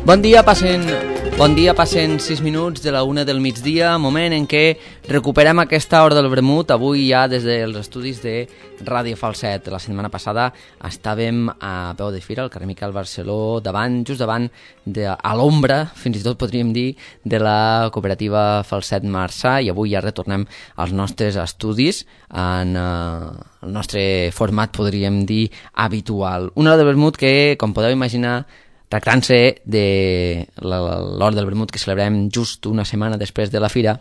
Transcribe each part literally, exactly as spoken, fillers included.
Bon dia, passen, bon dia, passen sis minuts de la una del migdia, moment en què recuperem aquesta hora del vermut, avui ja des dels estudis de Ràdio Falset. La setmana passada estàvem a peu de fira, al carrer Miquel Barceló, davant, just davant, de, a l'ombra, fins i tot podríem dir, de la cooperativa Falset Marçà, i avui ja retornem als nostres estudis en eh, el nostre format, podríem dir, habitual. Una hora de vermut que, com podeu imaginar, tractant-se de l'hora del vermut que celebrem just una setmana després de la fira,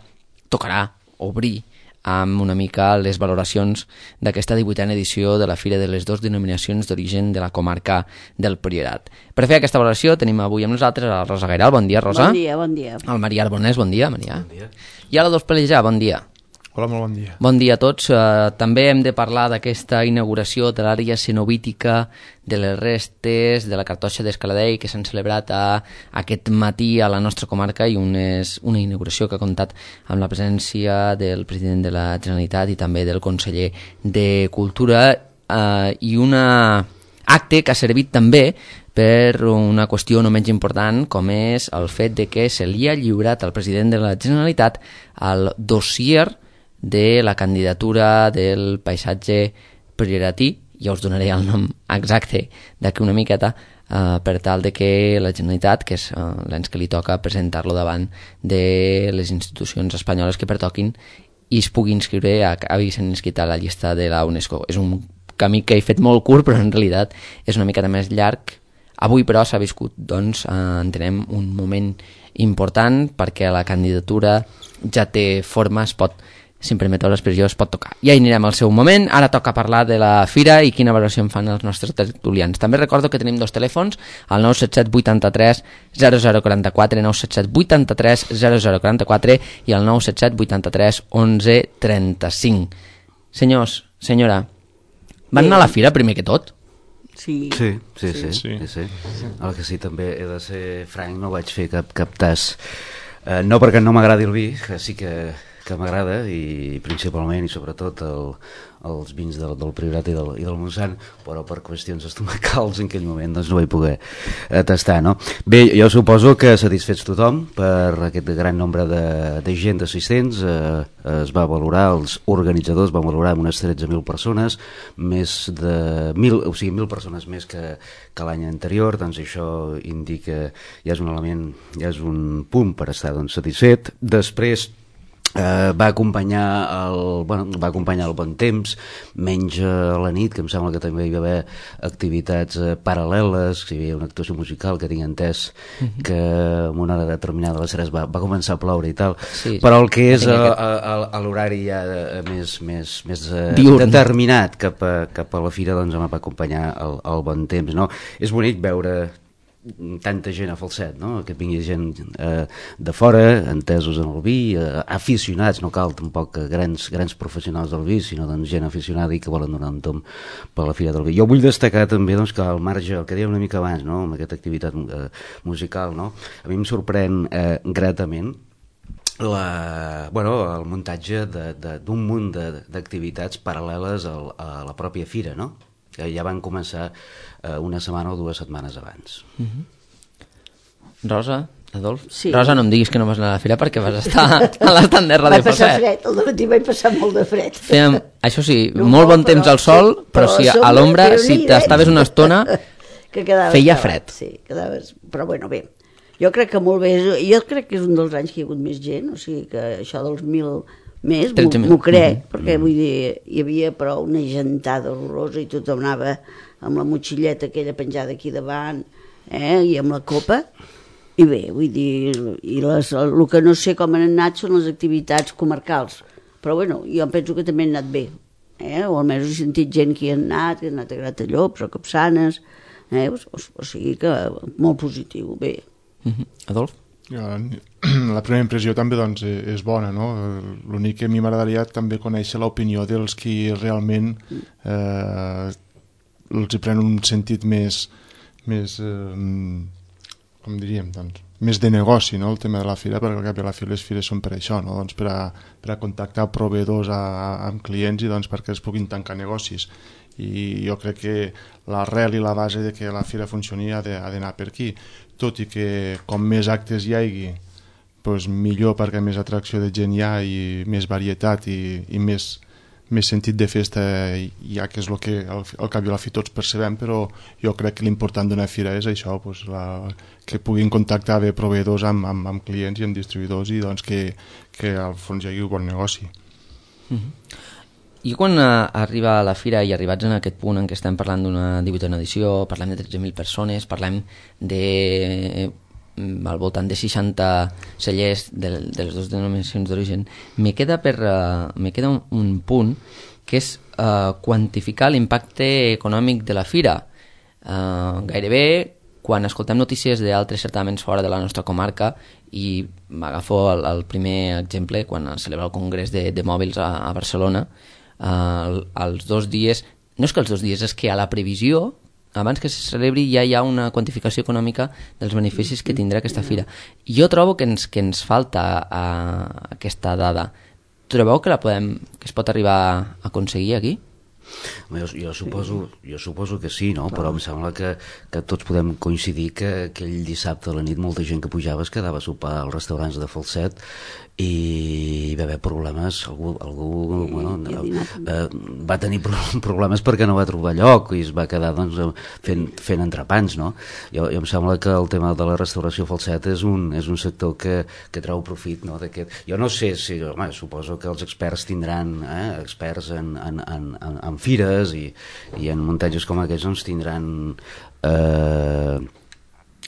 tocarà obrir amb una mica les valoracions d'aquesta divuitena edició de la Fira de les dues denominacions d'origen de la comarca del Priorat. Per fer aquesta valoració tenim avui amb nosaltres a la Rosa Gairal. Bon dia, Rosa. Bon dia, bon dia. El Maria Arbonès, bon dia, Maria. Bon dia. I a l'Adolf Pelejà, bon dia. Hola, molt bon dia. Bon dia a tots. Uh, també hem de parlar d'aquesta inauguració de l'àrea cenobítica de les restes de la cartoixa d'Escaladei que s'han celebrat a, aquest matí a la nostra comarca, i un és una inauguració que ha comptat amb la presència del president de la Generalitat i també del conseller de Cultura, uh, i un acte que ha servit també per una qüestió no menys important, com és el fet de que se li ha lliurat al president de la Generalitat el dossier de la candidatura del paisatge prioratí. Ja us donaré el nom exacte d'aquí una miqueta, eh, per tal de que la Generalitat, que és eh, l'ens que li toca presentar-lo davant de les institucions espanyoles que pertoquin, i es pugui inscriure, acabi sent inscrit a la llista de la UNESCO. És un camí que he fet molt curt, però en realitat és una miqueta més llarg. Avui, però, s'ha viscut, doncs, eh, entenem, un moment important, perquè la candidatura ja té forma, es pot, si em permeteu l'expressió, es pot tocar. Ja hi anirem al seu moment. Ara toca parlar de la fira i quina valoració en fan els nostres tertulians. També recordo que tenim dos telèfons, el nou set set vuitanta-tres zero zero quaranta-quatre, nou set set vuitanta-tres zero zero quaranta-quatre i el nou set set vuitanta-tres onze trenta-cinc. Senyors, senyora, van anar a la fira primer que tot? Sí. Sí, sí, sí, sí. sí, sí. El que sí, també he de ser franc, no vaig fer cap, cap tas. Eh, no perquè no m'agradi el vi, que sí que, que m'agrada, i principalment i sobretot el, els vins del, del Priorat i del, i del Montsant, però per qüestions estomacals en aquell moment doncs no vaig poder eh, tastar, no? Bé, jo suposo que satisfets tothom per aquest gran nombre de, de gent d'assistents. Eh, es va valorar, els organitzadors van valorar unes tretze mil persones, més de mil, o sigui, mil persones més que, que l'any anterior. Doncs això indica, ja és un element, ja és un punt per estar doncs, satisfet. Després Uh, va acompanyar el, bueno, va acompanyar el bon temps, menys a la nit, que em sembla que també hi va haver activitats uh, paral·leles, que hi havia una actuació musical que tinc entès uh-huh. que en una hora determinada de les tres va, va començar a ploure i tal, sí, però el que és a, a, a, a l'horari ja uh, més, més, més uh, determinat cap a, cap a la fira, doncs em va acompanyar el, el bon temps, no? És bonic veure tanta gent a Falset, no? Que vingui gent eh, de fora, entesos en el vi, eh, aficionats, no cal tampoc grans, grans professionals del vi, sinó doncs, gent aficionada i que volen donar un tom per la Fira del Vi. Jo vull destacar també doncs, que al marge, el que dèiem una mica abans, no? Amb aquesta activitat eh, musical, no? A mi em sorprèn eh, gratament la, bueno, el muntatge d'un munt d'activitats paral·leles al, a la pròpia fira, no? Que ja van començar eh, una setmana o dues setmanes abans. Uh-huh. Rosa, Adolf? Sí. Rosa, no em diguis que no vas anar a la fira perquè vas estar a l'estand de Ràdio Vaig passar Falset. fred, el dematí vaig passar molt de fred. Fèiem, això sí, No, molt bon però- temps al sol, sí, però, però si a a l'ombra, sobre si Déu-n'hi, t'estaves una estona, que quedaves feia cavat, fred. Sí, quedaves... Però bueno, bé, jo crec que molt bé, jo crec que és un dels anys que hi ha hagut més gent, o sigui que això dels mil més, tretze mil. m'ho crec, Mhm. perquè vull dir, hi havia però una gentada horrorosa i tothom anava amb la motxilleta aquella penjada aquí davant, eh, i amb la copa, i bé, vull dir, i les, el que no sé com han anat són les activitats comarcals, però bueno, jo penso que també han anat bé, eh, o almenys he sentit gent que hi ha anat, que ha anat a Gratallops o Capçanes, eh, o, o, o sigui que molt positiu, bé. Uh-huh. Adolf? La primera impressió també doncs, és bona, no? L'únic que a mi m'agradaria també conèixer l'opinió dels qui realment eh, els hi pren un sentit més, més eh, com diríem, doncs, més de negoci, no?, el tema de la fira, perquè al cap i a la fi les fires són per això, no?, doncs per a, per a contactar proveïdors a, a, amb clients i doncs perquè es puguin tancar negocis. I jo crec que l'arrel i la base de que la fira funcioni ha d'anar per aquí, tot i que com més actes hi hagi, doncs millor, perquè més atracció de gent hi ha i més varietat i, i més, més sentit de festa hi ha, que és el que al, al cap i a la fi tots percebem, però jo crec que l'important d'una fira és això, doncs la, que puguin contactar bé proveïdors amb, amb, amb clients i amb distribuïdors i doncs que, que al fons hi hagi un bon negoci. Mm-hmm. I quan uh, arriba a la fira i arribats en aquest punt en què estem parlant d'una divuitena edició, parlem de tretze mil persones, parlem de eh, al voltant de seixanta cellers de, de les dues denominacions d'origen, me queda, per, uh, me queda un, un punt que és uh, quantificar l'impacte econòmic de la fira. Uh, gairebé quan escoltem notícies d'altres certaments fora de la nostra comarca, i m'agafo el, el primer exemple quan es celebra el Congrés de, de Mòbils a, a Barcelona, Uh, els dos dies, no és que els dos dies, és que a la previsió, abans que se celebri, ja hi ha una quantificació econòmica dels beneficis que tindrà aquesta fira. Jo trobo que ens, que ens falta uh, aquesta dada. Trobeu que la podem, que es pot arribar a aconseguir aquí? Jo, jo, suposo, jo suposo que sí, no? Però em sembla que, que tots podem coincidir que aquell dissabte a la nit molta gent que pujava es quedava a sopar als restaurants de Falset i hi va haver problemes, algú, algú bueno, eh, va tenir problemes perquè no va trobar lloc i es va quedar doncs, fent, fent entrepans, no? Jo, jo em sembla que el tema de la restauració Falset és un, és un sector que, que treu profit, no? Jo no sé si, home, suposo que els experts tindran eh, experts en, en, en, en, en fires i, i en muntatges com aquests doncs tindran eh,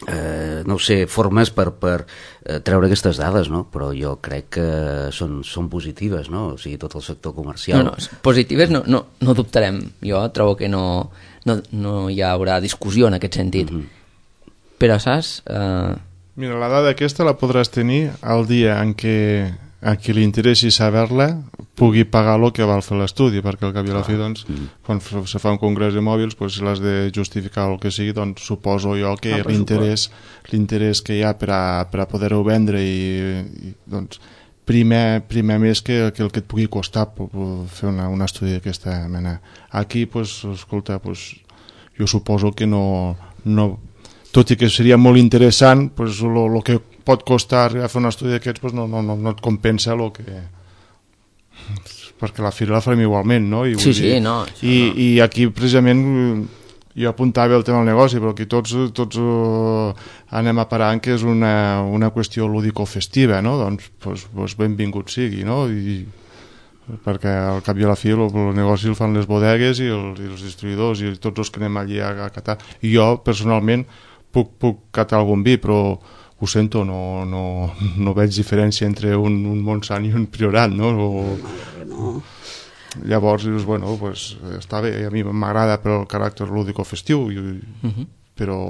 eh, no ho sé, formes per, per eh, treure aquestes dades, no? Però jo crec que són, són positives, no? O sigui, tot el sector comercial. No, no, positives no, no, no dubtarem. Jo trobo que no, no, no hi haurà discussió en aquest sentit. Mm-hmm. Però, saps? Uh... Mira, la dada aquesta la podràs tenir el dia en què a qui li interessi saber-la pugui pagar el que val fer l'estudi, perquè al cap i a la fi, doncs, quan se fa un congrés de mòbils, doncs, si l'has de justificar el que sigui, doncs suposo jo que ah, l'interès l'interès que hi ha per a, per a poder-ho vendre i, i doncs, primer, primer més que, que el que et pugui costar fer una, un estudi d'aquesta mena. Aquí, doncs, escolta, doncs, jo suposo que no, no tot i que seria molt interessant, doncs, el que pot costar a fer un estudi d'aquests, doncs, no, no, no, no et compensa el que... perquè la fira la farem igualment, no? I, sí, sí, dir, no, i, no. I aquí precisament jo apuntava el tema del negoci, però aquí tots, tots uh, anem a parar que és una, una qüestió lúdico-festiva, no? Doncs, doncs, doncs benvingut sigui, no? I, perquè al cap i a la fi el, el negoci el fan les bodegues i, el, i els distribuïdors i tots els que anem allí a, a catar. I jo, personalment, puc, puc catar algun vi, però ho sento, no, no, no veig diferència entre un, un Montsant i un Priorat, no? O, no. Llavors, dius, bueno, pues, està bé, a mi m'agrada per el caràcter lúdico-festiu, i, uh-huh. però,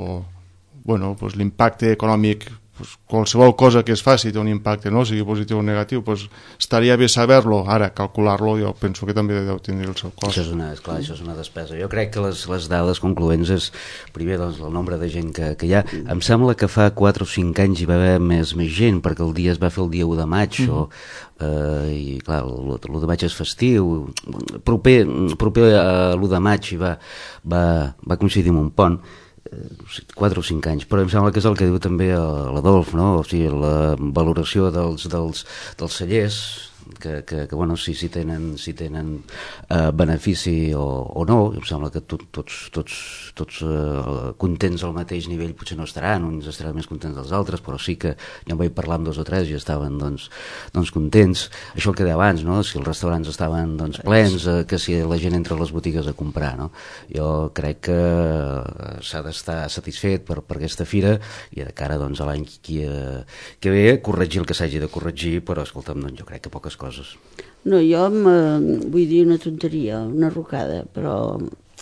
bueno, pues, l'impacte econòmic, pues, qualsevol cosa que es faci té un impacte, no? Sigui positiu o negatiu, pues, estaria bé saber-lo. Ara, calcular-lo, jo penso que també deu tenir el seu cost. Això és una, esclar, això és una despesa. Jo crec que les, les dades concloents és, primer, doncs, el nombre de gent que, que hi ha. Em sembla que fa quatre o cinc anys hi va haver més, més gent, perquè el dia es va fer el dia u de maig, mm-hmm. o, eh, i clar, l'u de maig és festiu, proper, proper a l'u de maig va, va, va coincidir amb un pont, quatre o cinc anys, però em sembla que és el que diu també l'Adolf, no? O sigui, la valoració dels, dels, dels cellers, que, que, que bueno, si, si tenen, si tenen eh, benefici o, o no, em sembla que tot, tots, tots, tots eh, contents al mateix nivell potser no estaran, uns estaran més contents dels altres, però sí que ja em vaig parlar amb dos o tres i estaven doncs, doncs contents. Això el que deia abans, no? Si els restaurants estaven doncs, plens, eh, que si la gent entra a les botigues a comprar, no? Jo crec que s'ha d'estar satisfet per, per aquesta fira i de cara doncs, a l'any que, que ve corregir el que s'hagi de corregir, però escolta'm, doncs, jo crec que poques coses. No, jo vull dir una tonteria, una rocada, però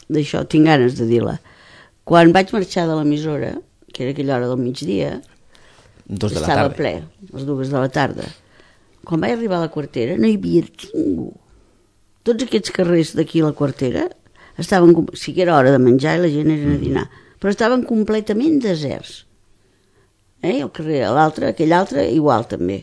d'això tinc ganes de dir-la. Quan vaig marxar de l'emissora, que era aquella hora del migdia, dos de la estava tarda. ple, les dues de la tarda. Quan vaig arribar a la Quartera no hi havia ningú. Tots aquests carrers d'aquí a la Quartera estaven, sí que era hora de menjar i la gent era a dinar, però estaven completament deserts. eh? El carrer, l'altre, aquell altre, igual també.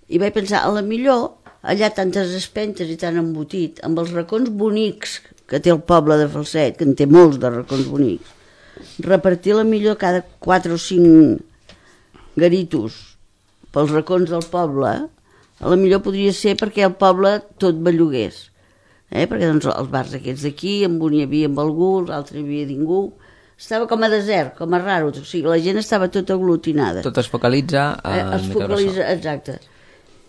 I vaig pensar, a la millor, allà tantes espentes i tan embotit, amb els racons bonics que té el poble de Falset, que en té molts de racons bonics, repartir la millor cada quatre o cinc garitos pels racons del poble, a la millor podria ser perquè el poble tot bellugués. Eh? Perquè doncs, els bars aquests d'aquí, en un hi havia amb algú, l'altre hi havia ningú. Estava com a desert, com a raro, o sigui, la gent estava tota aglutinada. Tot es focalitza a eh, es focalitza, exacte.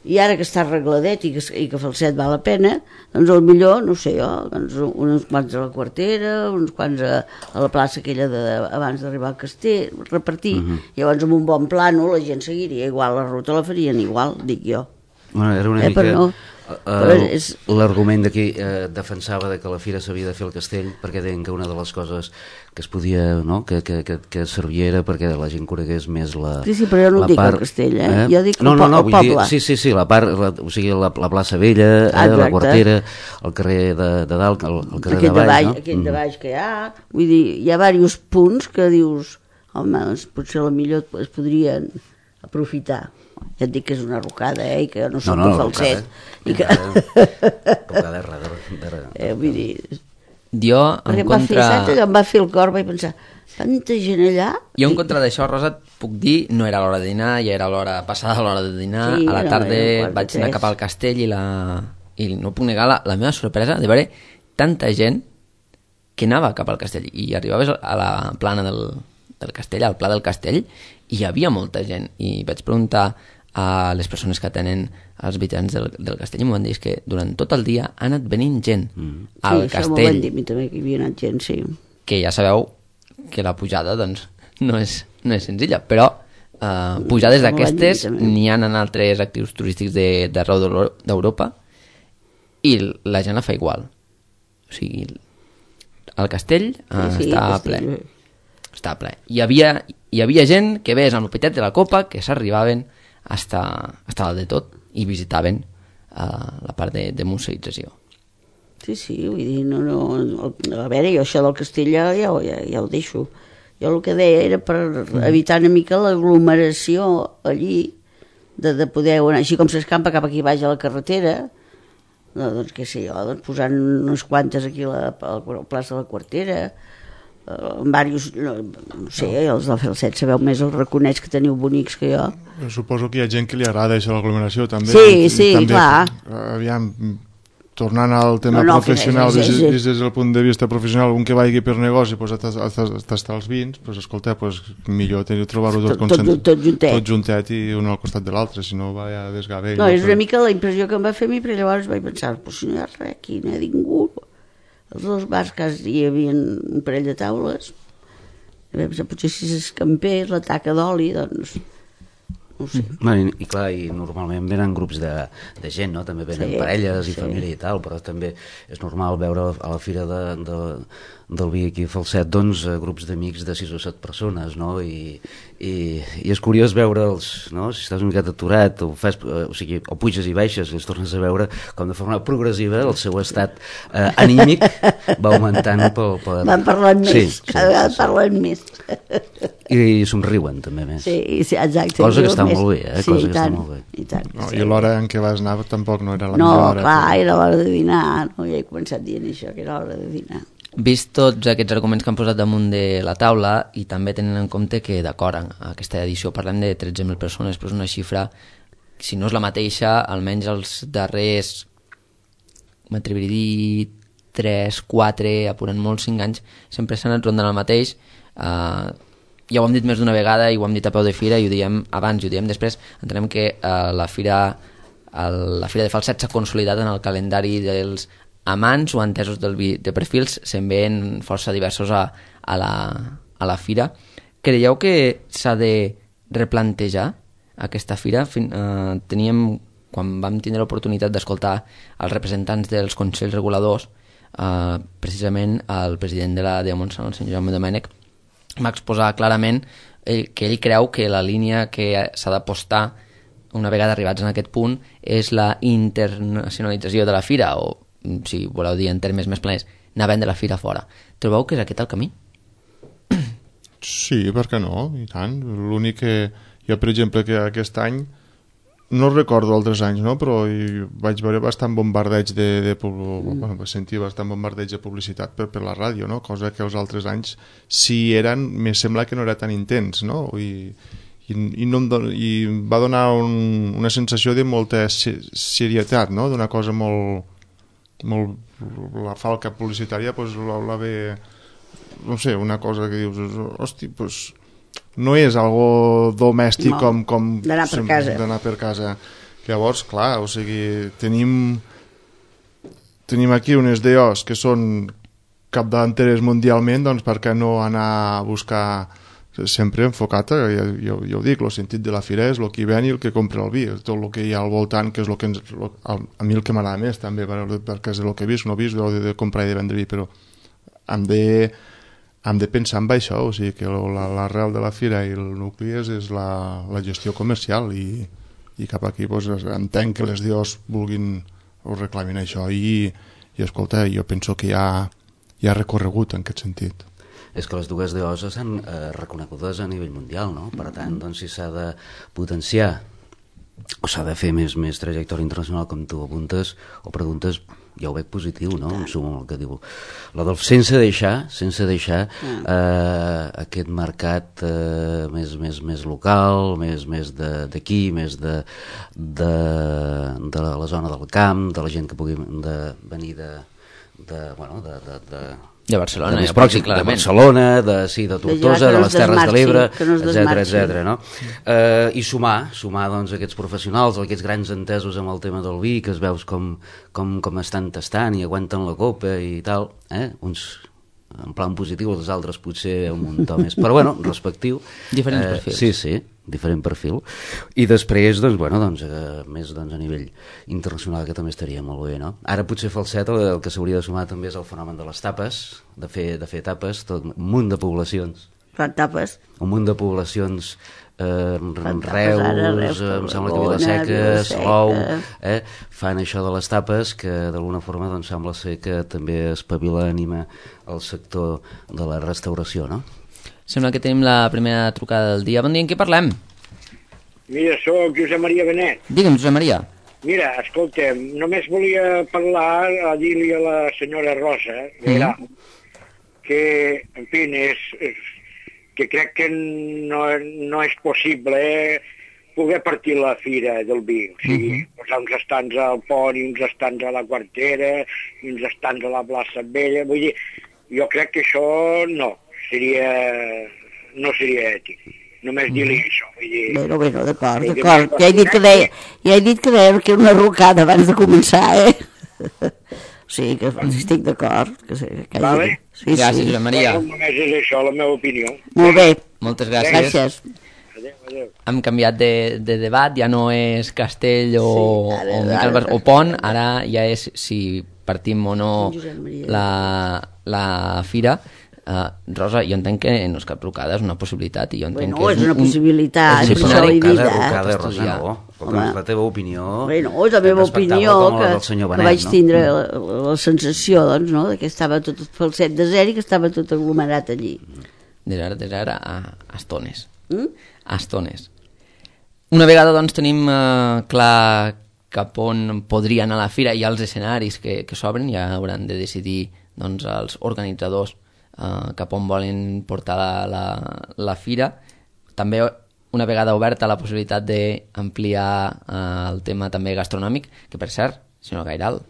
I ara que està arregladet i que, i que Falset val la pena, doncs al millor, no sé jo, doncs uns quants a la Quartera, uns quants a, a la plaça aquella de, abans d'arribar al castell, repartir. Uh-huh. Llavors amb un bon plano la gent seguiria igual, la ruta la farien igual, dic jo. Bueno, era una eh, mica... no, és... L'argument d'aquí eh, defensava de que la fira s'havia de fer al castell perquè deien que una de les coses que es podia, no? que, que, que, que servia era perquè la gent conegués més la sí, sí, però jo no la dic part, el castell, eh? eh? Jo dic no, el, no, no, el poble. dir, sí, sí, sí, la part, la, o sigui, la, la plaça Vella, eh, la Quartera, el carrer de, de dalt, el, el carrer aquell de baix, baix no? aquell mm. de baix que hi ha, vull dir, hi ha diversos punts que dius, home, doncs potser la millor es podrien aprofitar. Ja et dic que és una rocada, eh, i que jo no soc no, no, de Falset. I que... Rocada de darrere. Eh, vull dir... Jo, en em contra... Va fer, em va fer el cor, vaig pensar, tanta gent allà... Jo, en contra d'això, Rosa, et puc dir, no era l'hora de dinar, ja era l'hora passada l'hora de dinar, sí, a la no, tarda no, vaig anar cap al castell i, la... i no puc negar la, la meva sorpresa de veure tanta gent que anava cap al castell i arribaves a la plana del, del castell, al pla del castell, i hi havia molta gent, i vaig preguntar a les persones que tenen els habitants del, del castell i m'ho van dir que durant tot el dia ha anat venint gent mm. al sí, castell. Sí, això m'ho van dir a mi també, que hi havia anat gent, sí. Que ja sabeu que la pujada doncs, no, és, no és senzilla, però eh, pujades d'aquestes n'hi ha en altres actius turístics d'arreu d'Europa i la gent la fa igual. O sigui, el castell eh, sí, sí, està ple. Està ple. Hi havia, hi havia gent que ves amb el petet de la copa que s'arribaven hasta, hasta dalt de tot i visitaven uh, la part de, de museïtzació. Sí, sí, vull dir, no, no, a veure, jo això del castell ja, ja, ja, ja ho deixo. Jo el que deia era per evitar una mica l'aglomeració allí, de, de poder anar, així com s'escampa cap aquí baix a la carretera, no, doncs què sé jo, doncs posant unes quantes aquí a la, a la plaça de la Quartera, en diversos, no, no sé, els del Falset sabeu més els raconets que teniu bonics que jo. Jo suposo que hi ha gent que li agrada això, l'aglomeració també. Sí, sí, també, clar. Aviam, tornant al tema no, no, professional, és, és, és, des, des del punt de vista professional, un que vagi per negoci pues, a tastar els vins, pues, escolta, pues, millor trobar-ho tot, tot, tot, tot, juntet. tot juntet i un al costat de l'altre, si no va a desgavell. No, és una mica la impressió que em va fer a mi, però llavors vaig pensar, pues, si no hi ha res aquí, no hi ha ningú. Els dos bars que hi havia un parell de taules, potser si s'escampés la taca d'oli, doncs no sé. Bueno, i, i clar, i normalment venen grups de, de gent, no? També venen sí, parelles i sí. família i tal, però també és normal veure a la fira de, de, del vi aquí a Falset, doncs, grups d'amics de sis o set persones, no? I, i, i és curiós veure'ls, no? Si estàs una miqueta aturat, o, fas, o sigui, o puges i baixes i els tornes a veure, com de forma progressiva el seu estat eh, anímic va augmentant pel... per... Van parlant més, sí, cada vegada sí, parlen sí. més. I somriuen també més. Sí, sí, exacte. Cosa que està més. molt bé, eh? Sí, Cosa i que tant, està molt bé. I, tant, no, sí. I l'hora en què vas anar tampoc no era la no, millor hora. No, clar, però... era l'hora de dinar, no? Ja he començat dient això, que era l'hora de dinar. Vist tots aquests arguments que han posat damunt de la taula i també tenint en compte que d'acord en aquesta edició parlem de tretze mil persones, però és una xifra, si no és la mateixa, almenys els darrers, m'atreviria a dir tres, quatre, apurant molt, cinc anys, sempre s'han anat rondant el mateix. Uh, ja ho hem dit més d'una vegada i ho hem dit a peu de fira i ho diem abans i ho diem després. Entenem que uh, la fira el, la fira de Falset s'ha consolidat en el calendari dels amants o entesos del vi de perfils, se'n veien força diversos a, a, la, a la fira. Creieu que s'ha de replantejar aquesta fira? Fin, uh, teníem, quan vam tindre l'oportunitat d'escoltar els representants dels consells reguladors, uh, precisament el president de la D E A Montsant, el senyor Jaume Domènech, va exposar clarament eh, que ell creu que la línia que s'ha d'apostar una vegada arribats en aquest punt és la internacionalització de la fira, o si voleu dir en termes més plans, anar a vendre la fira fora. Trobeu que és aquest el camí? Sí, per què no? I tant. L'únic que... Jo, per exemple, que aquest any no recordo altres anys, no? Però hi vaig veure bastant bombardeig de, de mm. bueno, vaig sentir bastant bombardeig de publicitat per, per la ràdio, no? Cosa que els altres anys si eren, me sembla que no era tan intens, no? I, i, i, no em don, i va donar un, una sensació de molta serietat, no? D'una cosa molt, molt... la falca publicitària, pues, la, la ve... no sé, una cosa que dius, hosti, pues... no és algo domèstic no, com, com d'anar per casa. D'anar per casa. Llavors, clar, o sigui, tenim tenim aquí unes D Os que són capdavanteres mundialment, doncs per què no anar a buscar sempre enfocat, ja, jo, jo ho dic, el sentit de la fira és el que hi ven i el que compra el vi, tot el que hi ha al voltant, que és el que ens, lo, a, a mi el que m'agrada més també, perquè és el que he vist, no he vist de, de comprar i de vendre vi, però hem de hem de pensar en això, o sigui que l'arrel de la fira i el nucli és, és la, la gestió comercial i, i cap aquí doncs, entenc que les D Os vulguin o reclamin això i, i escolta, jo penso que hi ha, hi ha recorregut en aquest sentit. És que les dues D Os estan eh, reconegudes a nivell mundial, no? Per tant, doncs, si s'ha de potenciar o s'ha de fer més, més trajectòria internacional com tu apuntes o preguntes, ja ho veig positiu, no? En suma el que diu l'Adolf, sense deixar sense deixar eh, aquest mercat eh, més, més, més local, més, més d'aquí, més de, de, de la zona del camp, de la gent que pugui de, venir de, de, bueno, de, de, de de Barcelona, de, ja pròxim, de Barcelona, de, sí, de Tortosa, de, de les Terres de l'Ebre, etcètera, etcètera, no? Eh, I sumar, sumar doncs, aquests professionals, aquests grans entesos amb el tema del vi, que es veus com, com, com estan tastant i aguanten la copa i tal, eh? Uns en plan positiu, els altres potser un muntó més, però bueno, respectiu. Diferents eh, perfils. Sí, sí, diferent perfil. I després, doncs, bueno, doncs, eh, més doncs, a nivell internacional, que també estaria molt bé, no? Ara potser falset, el, el que s'hauria de sumar també és el fenomen de les tapes, de fer, de fer tapes, tot un munt de poblacions. Fan tapes. Un munt de poblacions, eh, Reus, ara, Reus, eh, em sembla que Vilaseca, Salou, eh, fan això de les tapes, que d'alguna forma doncs, sembla ser que també espavila, anima el sector de la restauració, no? Sembla que tenim la primera trucada del dia. Bon dia, en què parlem? Mira, sóc Josep Maria Benet. Digue'm, Josep Maria. Mira, escolta'm, només volia parlar, a dir-li a la senyora Rosa, mira, mm. que, en fi, és, és, que crec que no, no és possible eh, poder partir la fira del vi. O sigui, mm-hmm. posar uns estants al pont i uns estants a la Quartera i uns estants a la plaça Vella. Vull dir, jo crec que això no seria, no seria ètic. Només mm. dir-li això. Vull dir, bueno, bueno, d'acord, d'acord. Ja he dit que deia, ja he dit que deia que era una rucada abans de començar, eh? Sí, que estic d'acord. Que, que vale. Sí, gràcies, sí. Josep Maria. Només és això, la meva opinió. Molt bé. Moltes gràcies. Gràcies. Adéu, adéu. Hem canviat de, de debat, ja no és Castell o, sí, ara, o, ara, ara. o Pont, ara ja és si partim o no la, la fira. Uh, Rosa, jo entenc que no és cap trucada, és una possibilitat i jo entenc bueno, que és, és una un, possibilitat, és per això l'he dit, eh? eh? Rosa, no. Escolta, és la teva opinió. Bueno, és la meva opinió, que, Benet, que vaig no? tindre la, la sensació, doncs, no?, que estava tot falset de zero i que estava tot aglomerat allí. Des d'ara, des d'ara, a, a estones. Mm? A estones. Una vegada, doncs, tenim uh, clar cap on podria anar la fira i els escenaris que, que s'obren, ja hauran de decidir, doncs, els organitzadors Uh, cap on volen portar la, la, la fira. També una vegada oberta la possibilitat d'ampliar uh, el tema també gastronòmic, que per cert, senyor Gairal,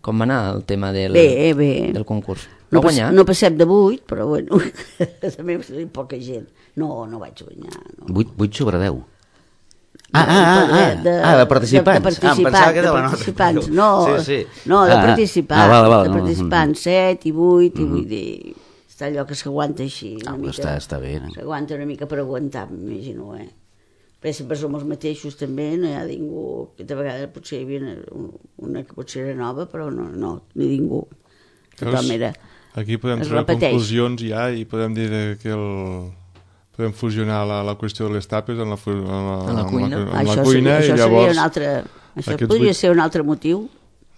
com va anar el tema del, bé, bé. del concurs? No, Va guanyar? no passem de vuit, però bueno, també hi poca gent. No, no vaig guanyar. No. vuit sobre deu. Ah, ah, ah, de, ah, de participants. De, de participants, ah, em pensava que de de la participants. nota. No, sí, sí. no, de ah, participants. Ah, vale, vale. De participants, set i vuit, i mm. vull dir, està allò que s'aguanta així. Una Ah, mica, està, està bé. No? S'aguanta una mica per aguantar, m'imagino, eh? Perquè sempre som els mateixos també, no hi ha ningú, aquesta vegada potser hi havia una que potser era nova, però no, no, ni ningú. Tothom era... Aquí podem es treure repeteix. conclusions ja i podem dir que el... podem fusionar la, la qüestió de les tapes en la, en la, en la cuina, en la, en això la cuina seria, i això llavors seria un altre, això podria vuit... ser un altre motiu.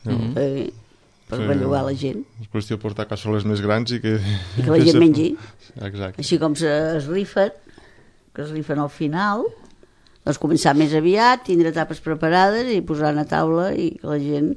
No. Eh, per sí, bellugar la gent. És qüestió de portar cassoles més grans i que... I que la gent mengi. Exacte. Així com es rifen, que es rifen al final, doncs començar més aviat, tindre tapes preparades i posar a taula i que la gent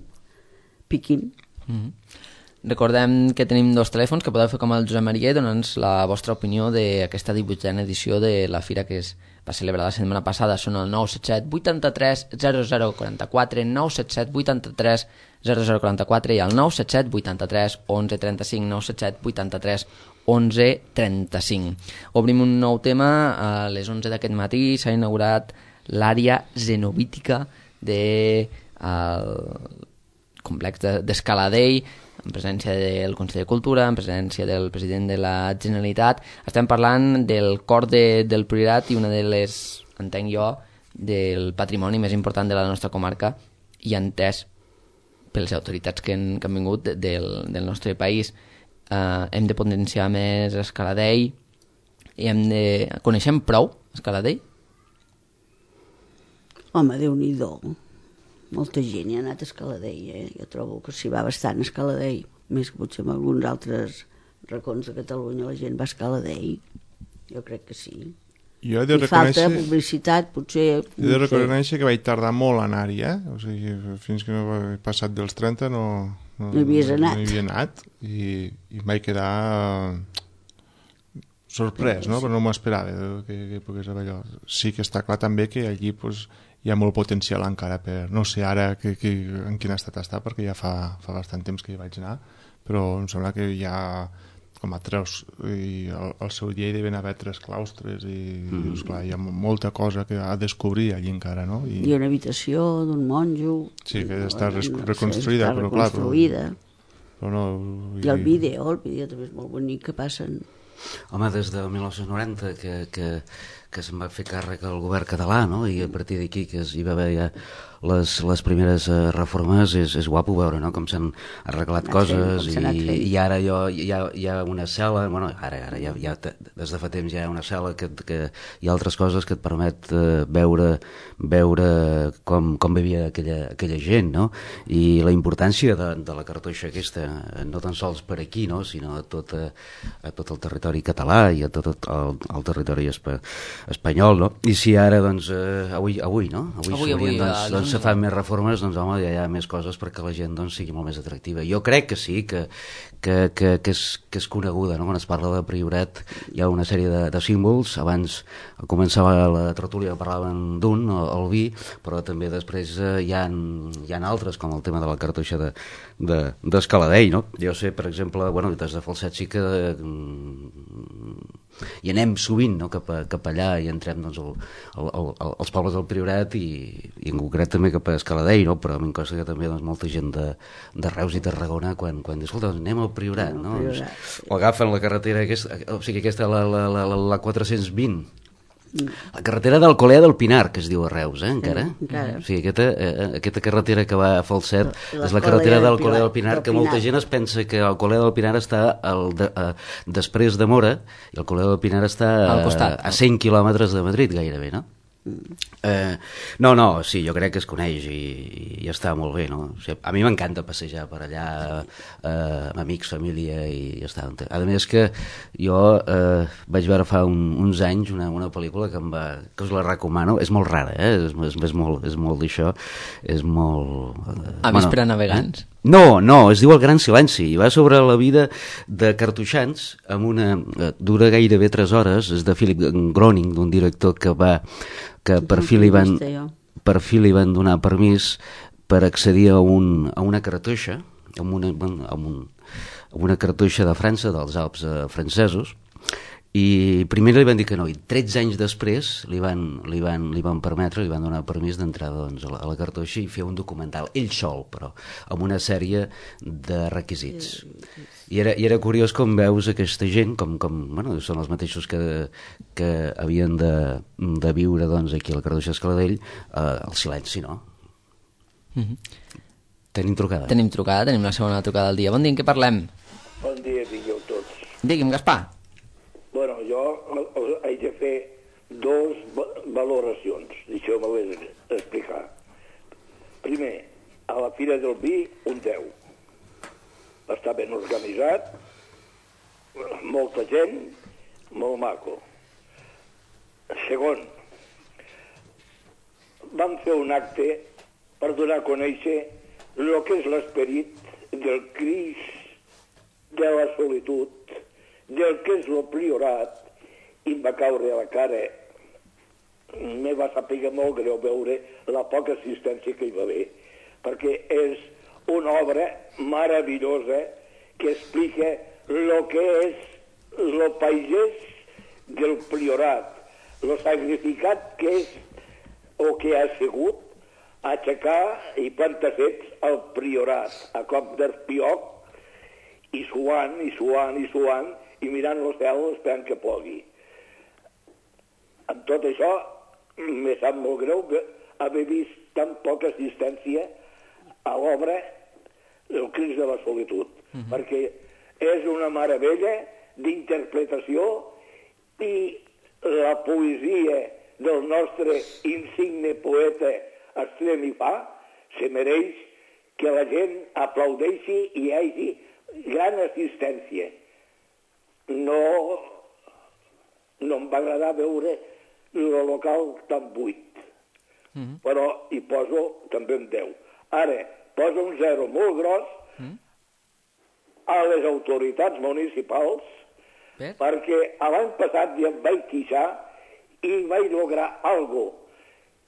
piquin. Mm-hmm. Recordem que tenim dos telèfons que podeu fer com el Josep Maria i donar-nos la vostra opinió d'aquesta divuitena edició de la fira que es va celebrar la setmana passada. Són el nou set set vuitanta-tres zero zero quaranta-quatre, nou set set vuitanta-tres zero zero quaranta-quatre i el nou set set vuitanta-tres onze trenta-cinc, nou set set vuitanta-tres onze trenta-cinc. Obrim un nou tema. A les onze d'aquest matí s'ha inaugurat l'àrea zenobítica del complex d'Escaladei, en presència del Consell de Cultura, en presència del president de la Generalitat. Estem parlant del cor de, del Priorat i una de les, entenc jo, del patrimoni més important de la nostra comarca i entès per les autoritats que han, que han vingut de, del, del nostre país. Uh, hem de potenciar més Escaladei i hem de... Coneixem prou Escaladei? Home, Déu-n'hi-do. Molta gent hi ha anat a Escaladei, eh? Jo trobo que s'hi va bastant a Escaladei, més que potser en alguns altres racons de Catalunya la gent va a Escaladei. Jo crec que sí. Jo he de I reconèixer... falta publicitat, potser... He de reconèixer que vaig tardar molt a anar-hi, eh? O sigui, fins que no he passat dels trenta no... No, no hi havies anat. No hi havia anat i, i em vaig quedar sorprès, no? Però no m'ho esperava que, que pogués haver allò. Sí que està clar també que allí pues, hi ha molt potencial encara per... No sé ara que, que, en quin estat està, perquè ja fa, fa bastant temps que hi vaig anar, però em sembla que hi ha com a tres, i al, al seu dia hi deuen haver tres claustres i mm. dius, clar, hi ha molta cosa que ha de descobrir allí encara, no? I... Hi ha una habitació d'un monjo... Sí, que està no, reconstruïda, no, però reconstruïda. clar... Però, però no... I el vídeo, el vídeo també és molt bonic, que passen... Home, des del mil nou-cents noranta que, que, que se'n va fer càrrec al govern català, no? I a partir d'aquí que hi va haver ja les, les primeres uh, reformes, és, és guapo veure, no? Com s'han arreglat coses i, i ara jo, hi, ha, hi ha una cel·la, bueno, ara, ara ja, ja, des de fa temps ja hi ha una cel·la que, que hi ha altres coses que et permet uh, veure, veure com, com vivia aquella, aquella gent, no? I la importància de, de la cartoixa aquesta, no tan sols per aquí, no? Sinó a tot, a, a tot el territori català i a tot el, el territori espa, espanyol, no? I si ara, doncs, eh, avui, avui, no? Avui, avui, avui doncs, doncs se fan més reformes, doncs, home, ja hi ha més coses perquè la gent, doncs, sigui molt més atractiva. Jo crec que sí, que, que, que, que, és, que és coneguda, no? Quan es parla de Priorat hi ha una sèrie de, de símbols. Abans començava la tertúlia, parlaven d'un, el, el vi, però també després eh, hi, ha, hi ha altres, com el tema de la cartoixa de, de, d'Escaladei, no? Jo sé, per exemple, bueno, des de Falset sí que eh, i anem sovint, no? cap, a, cap allà i entrem, doncs, el, el, el, els pobles del Priorat i, i en concret també cap a Escaladei, no? Però a mi em consta que també, doncs, molta gent de, de Reus i Tarragona quan, quan diu, escolta, anem al Priorat, no? Priorat, sí. O agafen la carretera aquesta, o sigui, aquesta, la, la, la, la, la quatre-cents vint, la carretera d'Alcolea del Pinar, que es diu a Reus, eh, encara? Sí, encara. O sigui, aquesta, eh, aquesta carretera que va a Falset és la carretera d'Alcolea del Pinar, que molta gent es pensa que Alcolea del Pinar està al de, a, després de Mora, i Alcolea del Pinar està a, a cent quilòmetres de Madrid, gairebé, no? Eh, no, no, sí, jo crec que es coneix i, i està molt bé, no? O sigui, a mi m'encanta passejar per allà eh, amb amics, família i ja està. A més que jo eh, vaig veure fa un, uns anys una, una pel·lícula que, em va, que us la recomano, és molt rara, eh? és, és, és molt, és molt d'això, és molt... Eh, a bueno, Vespre navegants? No, no, es diu El Gran Silenci, i va sobre la vida de cartoixans, amb una, dura gairebé tres hores, és de Philip Groening, d'un director que va que per fi li van, per fi li van donar permís per accedir a, un, a una cartoixa, amb una, amb un, amb una cartoixa de França, dels Alps eh, francesos, i primer li van dir que no, i tretze anys després li van, li van, li van permetre, li van donar permís d'entrar, doncs, a la, a la cartoixa i fer un documental, ell sol, però, amb una sèrie de requisits. I era, i era curiós com veus aquesta gent, com, com bueno, són els mateixos que, que havien de, de viure, doncs, aquí a la cartoixa d'Escaladei, eh, el silenci, no? Mm-hmm. Tenim trucada. Tenim trucada, tenim la segona trucada del dia. Bon dia, en què parlem? Bon dia, digueu tots. Digui'm, Gaspar. Bueno, jo haig de fer dos valoracions, deixeu-me explicar. Primer, a la Fira del Vi, un deu. gent molt maco. Segon, vam fer un acte per donar a conèixer el que és l'esperit del Crist, de la solitud, del que és el priorat, i em va caure a la cara. Me va saber molt greu veure la poca assistència que hi va haver, perquè és una obra meravellosa que explica el que és el pagès del priorat, el sacrificat que és o que ha sigut aixecar i plantar fets al priorat, a cop d'espioc, i suant, i suant, i suant, i mirant el cel esperant que plogui. Amb tot això, me sap molt greu haver vist tan poca assistència a l'obra El Crist de la Solitud, uh-huh. perquè és una meravella d'interpretació i la poesia del nostre insigne poeta Estremifà se mereix que la gent aplaudeixi i hi hagi gran assistència. No, no em va agradar veure el local tan buit, mm-hmm. però hi poso també un deu. Ara, poso un zero molt gros mm-hmm. a les autoritats municipals Bé. perquè l'any passat ja em vaig queixar i vaig lograr algo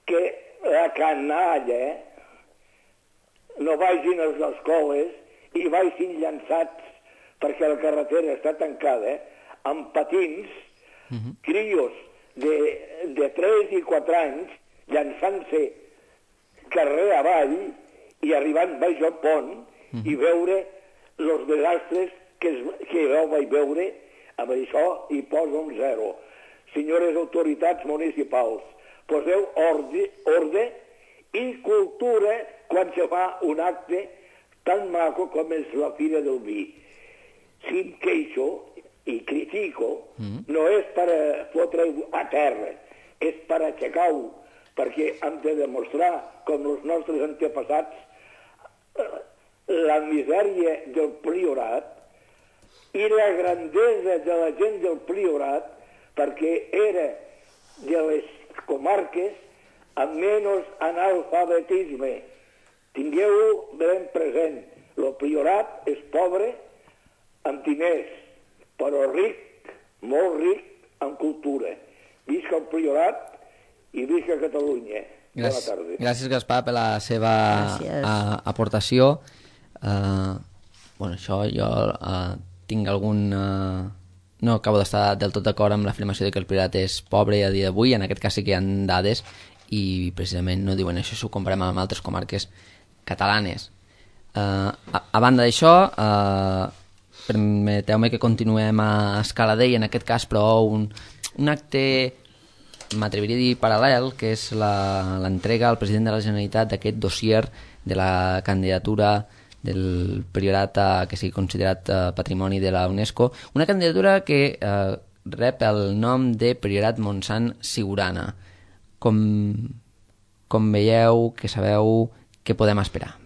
que la canalla no vagin a les escoles i vagin llançats perquè la carretera està tancada amb patins, uh-huh. crios de, de tres i quatre anys llançant-se carrer avall i arribant baix al pont uh-huh. i veure els desastres que, es, que jo vaig veure. Amb això hi poso un zero. Senyores autoritats municipals, poseu ordre, ordre i cultura quan se fa un acte tan maco com és la Fira del Vi. Si em queixo i critico, mm. no és per fotre-ho a terra, és per aixecar-ho, perquè hem de demostrar, com els nostres antepassats, la misèria del priorat i la grandesa de la gent del priorat, perquè era de les comarques amb menys analfabetisme. Tingueu-ho ben present. El priorat és pobre amb diners, però ric, molt ric en cultura. Visca el priorat i visca Catalunya. Bona tarda. Gràcies, Gaspar, per la seva a, aportació. Uh, bueno, això jo uh, tinc algun... Uh, no acabo d'estar del tot d'acord amb l'afirmació de que el priorat és pobre a dia d'avui. En aquest cas sí que hi ha dades i precisament no diuen això si ho comparem amb altres comarques catalanes. Uh, a, a banda d'això, uh, permeteu-me que continuem a Escaladei, en aquest cas, però un, un acte, m'atreviria a dir, paral·lel, que és l'entrega al president de la Generalitat d'aquest dossier de la candidatura del priorat a, que sigui considerat uh, patrimoni de la UNESCO, una candidatura que uh, rep el nom de Priorat Montsant Siurana. Com, com veieu, que sabeu, què podem esperar?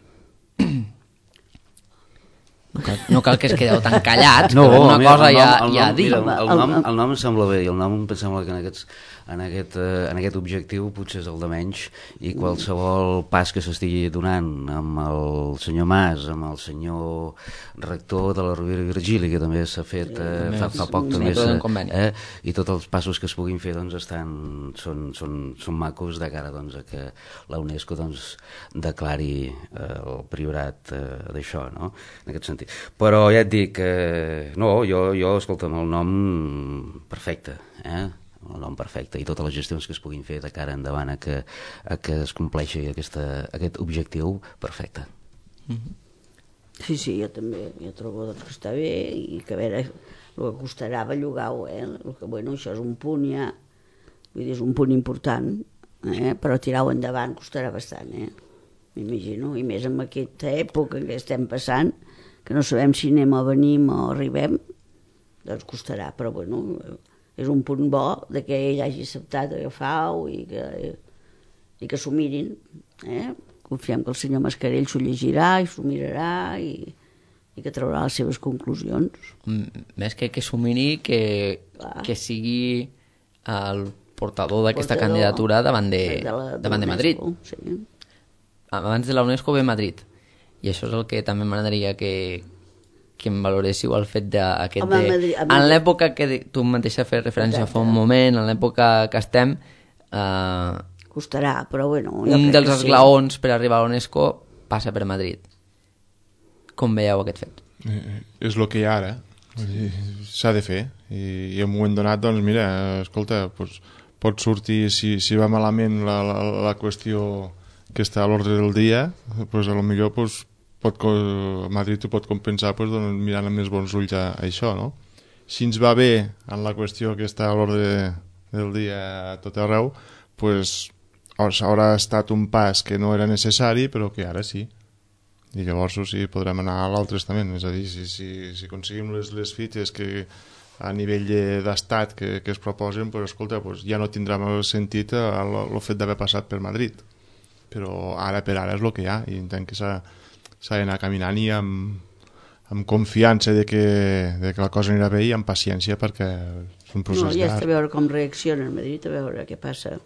No cal, no cal que es quedeu tan callats, no, que una mira, cosa ja, nom, ja dic. El, el, nom, el nom em sembla bé, i el nom em sembla que en, aquests, en, aquest, en aquest objectiu potser és el de menys, i qualsevol pas que s'estigui donant amb el senyor Mas, amb el senyor rector de la Rovira i Virgili, que també s'ha fet sí, eh, fa, fa poc, també eh, i tots els passos que es puguin fer doncs, estan, són, són, són macos de cara doncs, a que la UNESCO doncs, declari eh, el priorat eh, d'això, no? En aquest sentit. Però ja et dic que eh, no, jo, jo escolta'm, el nom perfecte, eh? El nom perfecte i totes les gestions que es puguin fer de cara endavant a que, a que es compleixi aquesta, aquest objectiu perfecte. Mm-hmm. Sí, sí, jo també jo trobo doncs, que està bé i que a veure el que costarà bellugar-ho, eh? Que, bueno, això és un punt ja, vull dir, és un punt important, eh? Però tirar-ho endavant costarà bastant, eh? M'imagino, i més en aquesta època que estem passant, que no sabem si anem o venim o arribem, doncs costarà, però bueno, és un punt bo de que ell hagi acceptat agafar-ho i que, i que s'ho mirin, eh? Confiem que el senyor Mascarell s'ho llegirà i s'ho mirarà i, i que traurà les seves conclusions. M- Més que que s'ho miri, que, Clar. que sigui el portador d'aquesta Portador candidatura davant de, de, la, davant de Madrid. Sí. Abans de la UNESCO ve Madrid. I això és el que també m'agradaria que, que em valoréssiu el fet d'aquest... Home, a De... Madrid- a En Madrid- l'època que de- tu mateixa fes referència fa un moment, en l'època que estem, eh, Costarà, però bueno... jo un crec dels que sí. esglaons per arribar a l'UNESCO passa per Madrid. Com veieu aquest fet? Eh, és el que hi ha ara. Vull dir, s'ha de fer. I, i en un moment donat, doncs, mira, escolta, doncs, pot sortir, si, si va malament la, la, la qüestió que està a l'ordre del dia, doncs, a lo millor doncs, pot, co- Madrid ho pot compensar doncs, doncs, mirant amb més bons ulls a, a això, no? Si ens va bé en la qüestió que està a l'ordre del dia a tot arreu, doncs, haurà estat un pas que no era necessari, però que ara sí. I llavors sí, podrem anar a l'altre estament, és a dir, si, si, si aconseguim les, les fites que a nivell de- d'estat que, que es proposen, pues, escolta, pues, ja no tindrà més sentit el, el fet d'haver passat per Madrid, però ara per ara és el que hi ha i entenc que s'ha s'ha d'anar caminant i amb, amb confiança de que, de que la cosa anirà bé i amb paciència perquè és un No, procés ja està a llarg. veure com reacciona a Madrid, a veure què passa.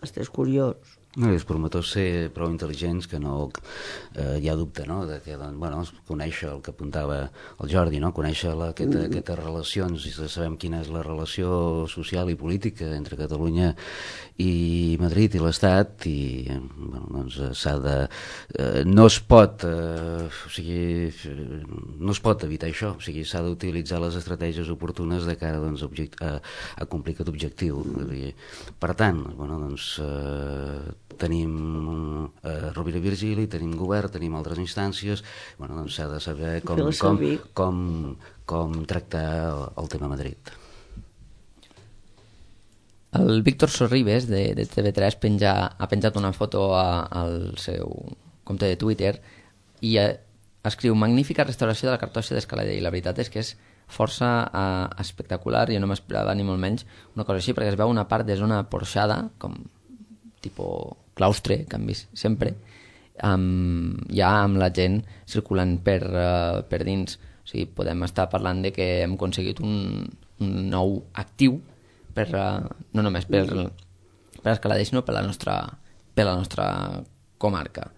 Estàs curiós. No, i els promotors ser prou intel·ligents que no eh, hi ha dubte, no?, de que, doncs, bueno, conèixer el que apuntava el Jordi, no?, conèixer la, aquesta, mm. aquestes relacions, i sabem quina és la relació social i política entre Catalunya i Madrid i l'Estat, i bueno, doncs s'ha de... Eh, no es pot eh, o sigui, no es pot evitar això, o sigui, s'ha d'utilitzar les estratègies oportunes de cara, doncs, object, a, a complir aquest objectiu. Per tant, bueno, doncs, eh, tenim eh, Rovira i Virgili, tenim govern, tenim altres instàncies, bueno, doncs s'ha de saber com, Fer-la com, servir. com, com tractar el, el tema Madrid. El Víctor Sorribes, de, de T V tres, penja, ha penjat una foto a, al seu compte de Twitter i eh, escriu magnífica restauració de la cartoixa d'Escalader, i la veritat és que és força eh, espectacular. Jo no m'esperava ni molt menys una cosa així, perquè es veu una part de zona porxada, com tipus claustre, que hem vist sempre, amb, ja amb la gent circulant per, uh, per dins. O sigui, podem estar parlant de que hem aconseguit un, un nou actiu per, uh, no només per, per Escalader, sinó per la nostra, per la nostra comarca.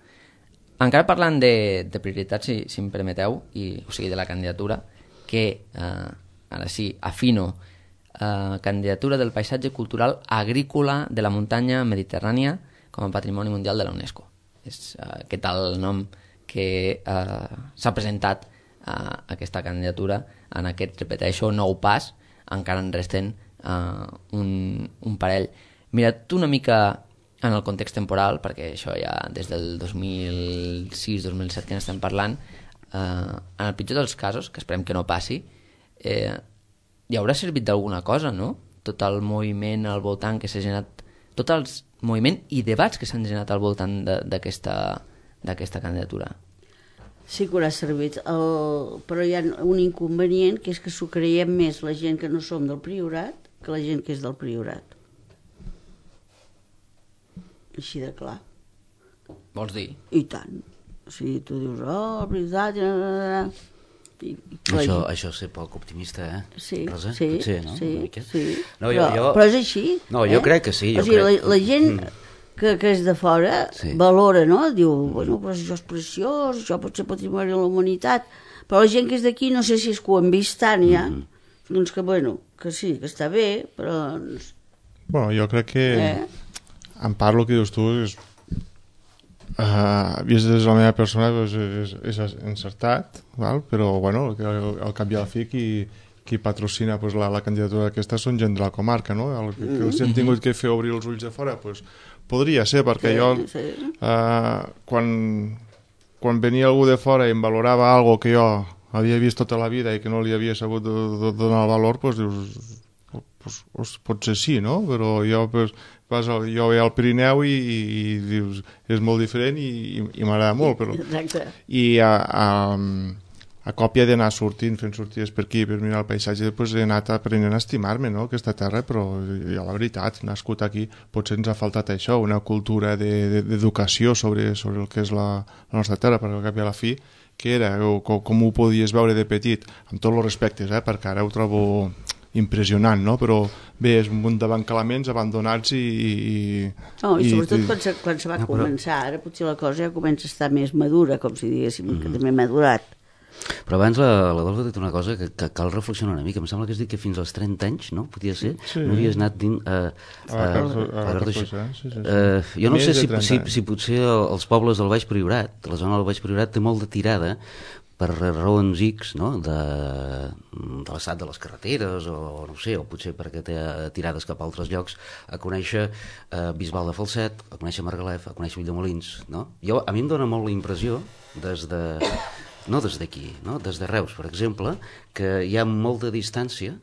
Encara parlant de, de prioritats, si, si em permeteu, i, o sigui, de la candidatura, que uh, ara sí, afino, Uh, candidatura del paisatge cultural agrícola de la muntanya mediterrània com a patrimoni mundial de la UNESCO. És uh, aquest el nom que uh, s'ha presentat uh, aquesta candidatura en aquest, repeteixo, nou pas. Encara en resten uh, un, un parell. Mira't una mica en el context temporal, perquè això ja des del dos mil sis dos mil set que n'estem parlant, uh, en el pitjor dels casos, que esperem que no passi, eh, hi haurà servit d'alguna cosa, no? Tot el moviment al voltant que s'ha generat, tot el moviment i debats que s'han generat al voltant d'aquesta d'aquesta candidatura. Sí que haurà servit, el... però hi ha un inconvenient, que és que s'ho creiem més la gent que no som del Priorat que la gent que és del Priorat. Així de clar. Vols dir? I tant. O sigui, tu dius, oh, el Priorat... I, i Això, això és ser poc optimista, eh? Sí, Rosa? sí, Potser, no? sí, Una mica. sí. No, jo, però, jo... però és així. No, jo eh? crec que sí. Jo o sigui, crec... la, la gent Mm. que, que és de fora Sí. valora, no? Diu, bueno, però això és preciós, això pot ser patrimoni de la humanitat, però la gent que és d'aquí no sé si és que ho han vist tant ja, Mm. doncs que, bueno, que sí, que està bé, però... Doncs, Bueno, jo crec que eh? en part el que dius tu és uh, vist des de la meva persona doncs, és, és encertat, val? Però bueno, al, al cap i a la fi qui, qui patrocina pues, la, la candidatura d'aquesta són gent de la comarca, no? El, que, que els han tingut que fer obrir els ulls de fora pues, podria ser, perquè Sí, jo sí. uh, quan, quan venia algú de fora i em valorava algo que jo havia vist tota la vida i que no li havia sabut donar el valor, pues, dius pues, pues, potser sí, no? Però jo, pues, vas al, jo veia al Pirineu i, i, i dius, és molt diferent i, i, i m'agrada molt, però... Exacte. I a, a, a còpia d'anar sortint, fent sortides per aquí, per mirar el paisatge, pues, he anat aprenent a estimar-me, no?, aquesta terra, però ja la veritat, nascut aquí, potser ens ha faltat això, una cultura d'educació de, de, sobre, sobre el que és la, la nostra terra, perquè al cap i a la fi que era o com, com ho podies veure de petit, amb tots els respectes, eh, perquè ara ho trobo impressionant, no? Però bé, és un munt d'abancalaments abandonats i... i no, i sobretot i, quan se, quan se va no, però... començar, ara potser la cosa ja comença a estar més madura, com si diguéssim, mm. que també ha madurat. Però abans la, la Dolça ha dit una cosa que, que cal reflexionar una mica. Em sembla que has dit que fins als trenta anys, no? Podia ser? Sí. No havies anat dins... Uh, a la Cartoixa, a la Cartoixa, sí, sí, sí. Uh, jo no Més sé si, si, anys. si potser els pobles del Baix Priorat, la zona del Baix Priorat té molt de tirada per raons X, no? de, de l'estat de les carreteres o no sé, o potser perquè té tirades cap a altres llocs, a conèixer eh, Bisbal de Falset, a conèixer Margalef, a conèixer Ulldemolins, no? Jo, a mi em dóna molt la impressió des de... no des d'aquí, no? Des de Reus, per exemple, que hi ha molta distància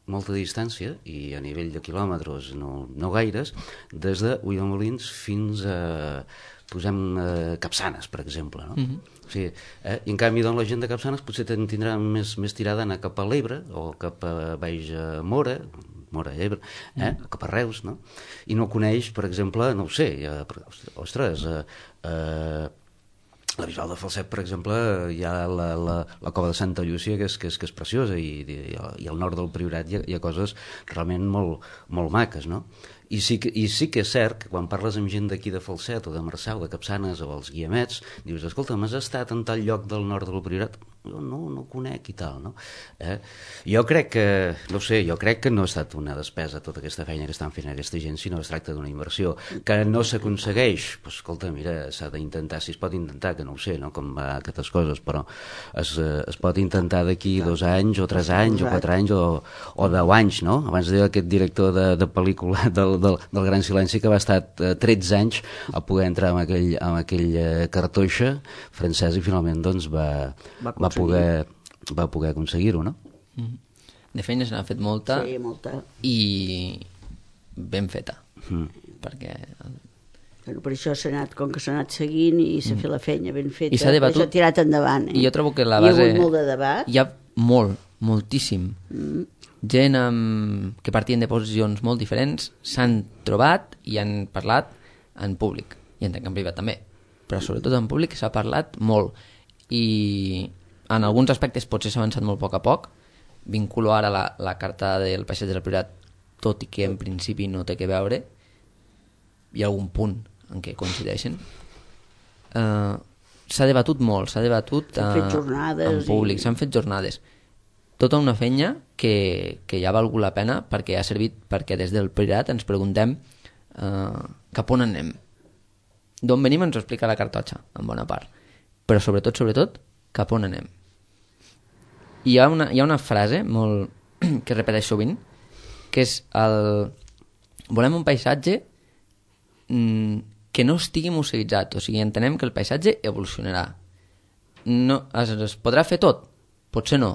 molta distància, i a nivell de quilòmetres no, no gaires, des de Ulldemolins fins a, posem, a Capçanes, per exemple, no? Mm-hmm. O sigui, eh? I en canvi, doncs, la gent de Capçanes potser tindrà més, més tirada a anar cap a l'Ebre o cap a baix a Mora, Mora i Ebre, eh? Mm. cap a Reus, no? I no coneix, per exemple, no ho sé, ja, ostres, eh, eh, la Bisbal de Falset, per exemple, hi ha la, la, la cova de Santa Llúcia, que és, que és, que és preciosa, i, i, i al nord del Priorat hi ha, hi ha coses realment molt, molt maques, no? I sí, que, I sí que és cert que quan parles amb gent d'aquí de Falset o de Marçà o de Capçanes o els Guiamets, dius, escolta, m'has estat en tal lloc del nord del Priorat? Jo no, no conec i tal, no? Eh? Jo crec que, no sé, jo crec que no ha estat una despesa tota aquesta feina que estan fent aquesta gent, sinó es tracta d'una inversió que no s'aconsegueix. Pues, escolta, mira, s'ha d'intentar, si es pot intentar, que no ho sé, no? Com va aquestes coses, però es, es pot intentar d'aquí dos anys o tres anys o quatre anys o, o deu anys, no? Abans deia aquest director de, de pel·lícula del, del, del Gran Silenci que va estar tretze anys a poder entrar en aquell, en aquell cartoixa francès i finalment doncs va, va, va poder, va poder aconseguir-ho, no? De feina se n'ha fet molta, sí, molta i ben feta, mm. perquè... Bueno, per això s'ha anat, com que s'ha anat seguint i s'ha mm. fet la feina ben feta, i s'ha debatut, s'ha tirat endavant. Eh? I jo trobo que la base... Hi ha hagut molt de debat. Hi ha molt, moltíssim. Mm. Gent amb... que partien de posicions molt diferents s'han trobat i han parlat en públic, i entenc en privat també, però sobretot en públic s'ha parlat molt, i en alguns aspectes potser s'ha avançat molt a poc a poc. Vinculo ara la, la carta del paisatge del Priorat, tot i que en principi no té que veure, hi ha algun punt en què coincideixen. Uh, s'ha debatut molt, s'ha debatut uh, fet jornades en públic, i... s'han fet jornades. Tota una feina que, que ja ha valgut la pena, perquè ha servit perquè des del Priorat ens preguntem uh, cap on anem. D'on venim ens ho explica la cartotxa, en bona part. Però sobretot, sobretot, cap on anem. I hi ha una, hi ha una frase molt que repeteix sovint, que és el... volem un paisatge mm, que no estigui museïtzat, o sigui, entenem que el paisatge evolucionarà. No, es, es podrà fer tot? Potser no,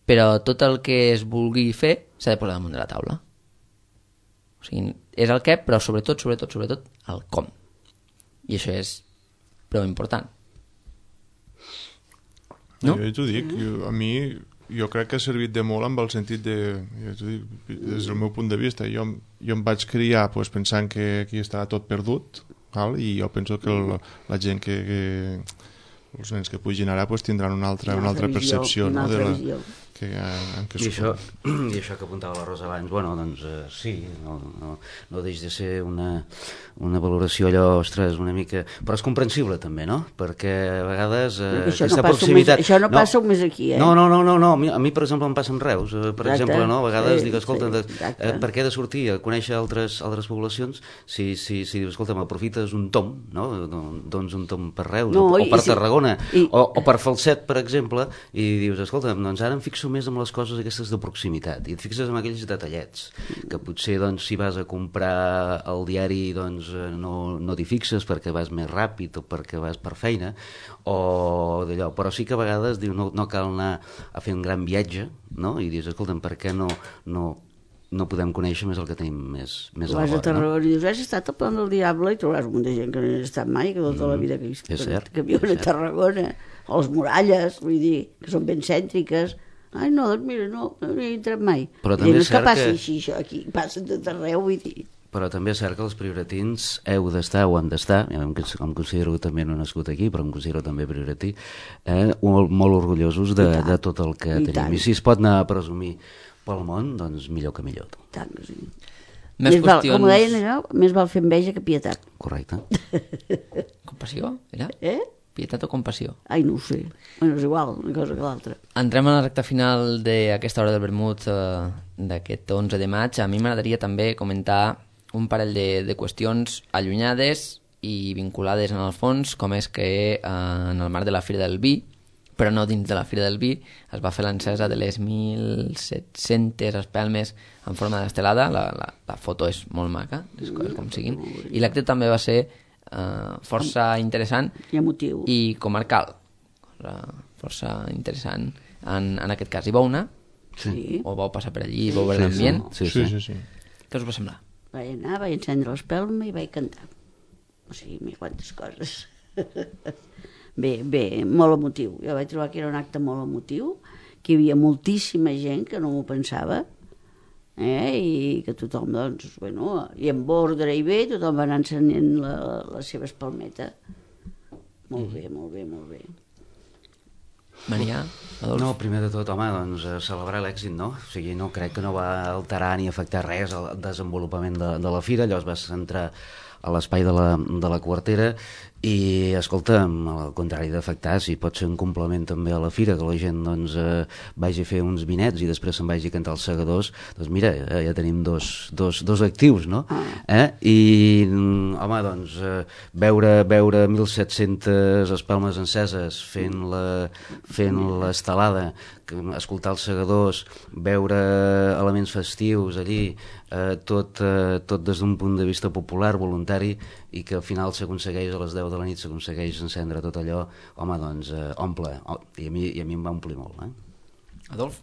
però tot el que es vulgui fer s'ha de posar damunt de la taula. O sigui, és el què, però sobretot, sobretot, sobretot, el com. I això és prou important. No? Jo t'ho dic, jo, a mi jo crec que ha servit de molt amb el sentit de, jo t'ho dic, des del meu punt de vista, jo, jo em vaig criar pues, pensant que aquí estava tot perdut, val? I jo penso que el, la gent que, que els nens que pugin ara pues, tindran una altra, una altra percepció, una no? altra de la, visió. que, en què I això, I això que apuntava la Rosa abans, bueno, doncs eh, sí, no, no, no deix de ser una, una valoració allò, ostres, una mica... Però és comprensible també, no? Perquè a vegades eh, això aquesta no proximitat... Més, això no, no passa només aquí, eh? No, no, no, no, no. A, mi, a mi, per exemple, em passa en Reus, eh, per exacte. exemple, no? A vegades sí, dic, escolta, sí, de, eh, per què he de sortir a conèixer altres, altres poblacions si, si, si dius, escolta, m'aprofites un tom, no? Doncs un tom per Reus, no, o, o per i, Tarragona, i... o, o per Falset, per exemple, i dius, escolta, doncs ara em fixo més en les coses aquestes de proximitat, i et fixes en aquells detallets que potser doncs, si vas a comprar el diari doncs, no, no t'hi fixes perquè vas més ràpid o perquè vas per feina o d'allò, però sí que a vegades diu, no, no cal anar a fer un gran viatge, no? I dius, escolta'm, per què no, no, no podem conèixer més el que tenim més, més a la vora, vas a Tarragona, no? I dius, has estat al Pont del Diable i trobaràs un munt de gent que no hi ha estat mai, que tota la vida que, que, cert, que viuen a Tarragona, o les muralles, vull dir, que són ben cèntriques. Ai, no, doncs mira, no, no hi he entrat mai. Però també és cert que... passi així, això, aquí, passen tot arreu, vull dir... però també és cert que els prioratins heu d'estar o han d'estar, ja em, em considero també no nascut aquí, però em considero també prioratí, eh, molt, molt orgullosos de, de tot el que I tenim. tant. I si es pot anar a presumir pel món, doncs millor que millor. Tant que sí. Més Més val, qüestions... com deien allò, més val fer enveja que pietat. Correcte. Compassió, era? Eh? Pietat o compassió? Ai, no ho sé. Bueno, és igual, una cosa que l'altra. Entrem a la recta final d'aquesta hora del vermut eh, d'aquest onze de maig. A mi m'agradaria també comentar un parell de, de qüestions allunyades i vinculades en el fons, com és que eh, en el marc de la Fira del Vi, però no dins de la Fira del Vi, es va fer l'encesa de les mil set-centes espelmes en forma d'estelada. La, la, la foto és molt maca, les coses com siguin. I l'acte també va ser Uh, força interessant I emotiu. i comarcal, força, força interessant en, en aquest cas. Hi vau anar? Sí. O vau passar per allí i vau veure l'ambient? Sí, Sí, sí. sí, sí. Què us va semblar? Vaig anar, vaig encendre l'espelma i vaig cantar. O sigui, m'hi quantes coses. Bé, bé, molt emotiu. Jo vaig trobar que era un acte molt emotiu, que hi havia moltíssima gent que no m'ho pensava, eh? I que tothom, doncs, bueno, i amb ordre i bé, tothom va anar encenent la, la seva espalmeta. Molt bé, molt bé, molt bé. Maria, Adolf? No, primer de tot, home, doncs eh, celebrar l'èxit, no? O sigui, no crec que no va alterar ni afectar res al desenvolupament de, de la fira. Allò es va centrar a l'espai de, la, de la quartera i, escolta, al contrari d'afectar, si pot ser un complement també a la fira, que la gent doncs, eh, vagi a fer uns vinets i després se'n vagi a cantar els segadors, doncs mira, eh, ja tenim dos, dos, dos actius, no? Eh? I, home, doncs, eh, veure, veure mil set-centes espelmes enceses fent la, fent l'estelada, escoltar els segadors, veure elements festius allí, eh, tot, eh, tot des d'un punt de vista popular, voluntari, i que al final s'aconsegueix a les deu de la nit, s'aconsegueix encendre tot allò, home, doncs, eh, omple, oh, i, a mi, i a mi em va omplir molt, eh? Adolf?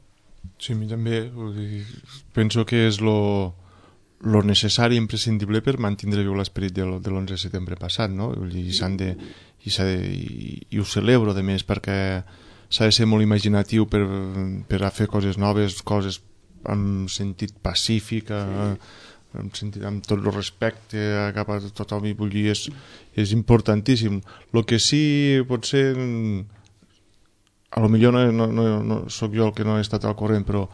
Sí, a mi també. Vull dir, penso que és lo, lo necessari i imprescindible per mantenir viu l'esperit de l'onze de setembre passat, no? Vull dir, s'han de, i, s'ha de, i, i ho celebro, de més, perquè s'ha de ser molt imaginatiu per, per a fer coses noves, coses amb sentit pacífic, sí. amb, sentit, amb tot el respecte cap a tothom, i vull dir, és, és importantíssim. El que sí pot ser, a lo millor no, no, no, no soc jo el que no he estat al corrent, però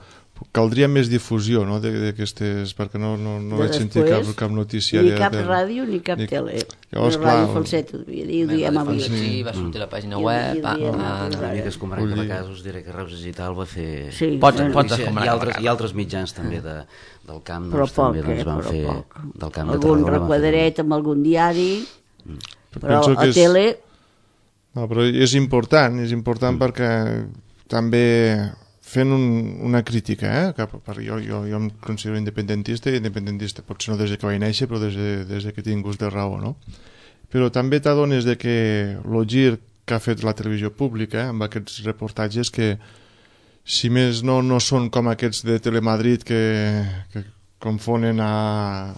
caldria més difusió, no?, d'aquestes, perquè no, no, no vaig sentir cap, cap notícia. Ni de, cap de, ràdio ni cap ni, tele. Llavors, la clar, ràdio falseta, devia dir, ho diem avui. Sí, va sortir a la pàgina I- web. i- Ah, i- ah, Una no. mica escombrant de casos, diré que Reus Digital va fer... Sí, Pots- bueno, pots I, escombrar i, cap a altres, cap. I altres mitjans també de, del camp, però doncs, poc, també doncs, eh, van però fer... poc. Del camp de Algun Tarragona van fer- requadret amb algun diari, però penso a que és- tele... No, però és important, és important mm. perquè també fent un, una crítica, eh? Cap, perquè jo, jo, jo em considero independentista, i independentista potser no des de que vaig néixer, però des de, des de que tinc gust de raó, no? Però també t'adones de que el gir que ha fet la televisió pública, eh, amb aquests reportatges, que si més no, no són com aquests de Telemadrid que, que confonen a,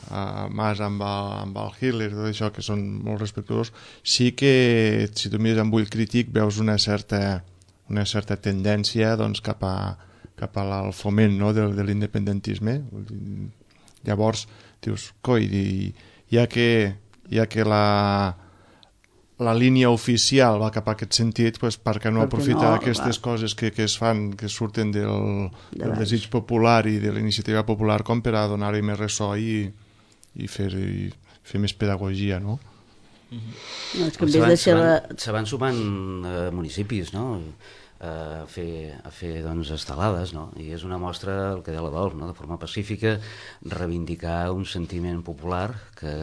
a Mas amb, a, amb el Hitler, tot això, que són molt respectuosos, sí que si tu mires amb ull crític veus una certa, una certa tendència, doncs, cap, a, cap al foment, no?, de, de l'independentisme. Llavors dius, coi, i, ja que, ja que la, la línia oficial va cap a aquest sentit, pues, per què no Per què aprofitar no, aquestes va. coses que, que es fan, que surten del, De del baix. desig popular i de la iniciativa popular, com per a donar-hi més ressò i, i, fer, i fer més pedagogia, no? No, és que en Se vez van, de se ser la... van, se van sumant eh, municipis, no?, a fer, a fer doncs, estelades, no? I és una mostra, el que deia l'Adolf, no?, de forma pacífica, reivindicar un sentiment popular que,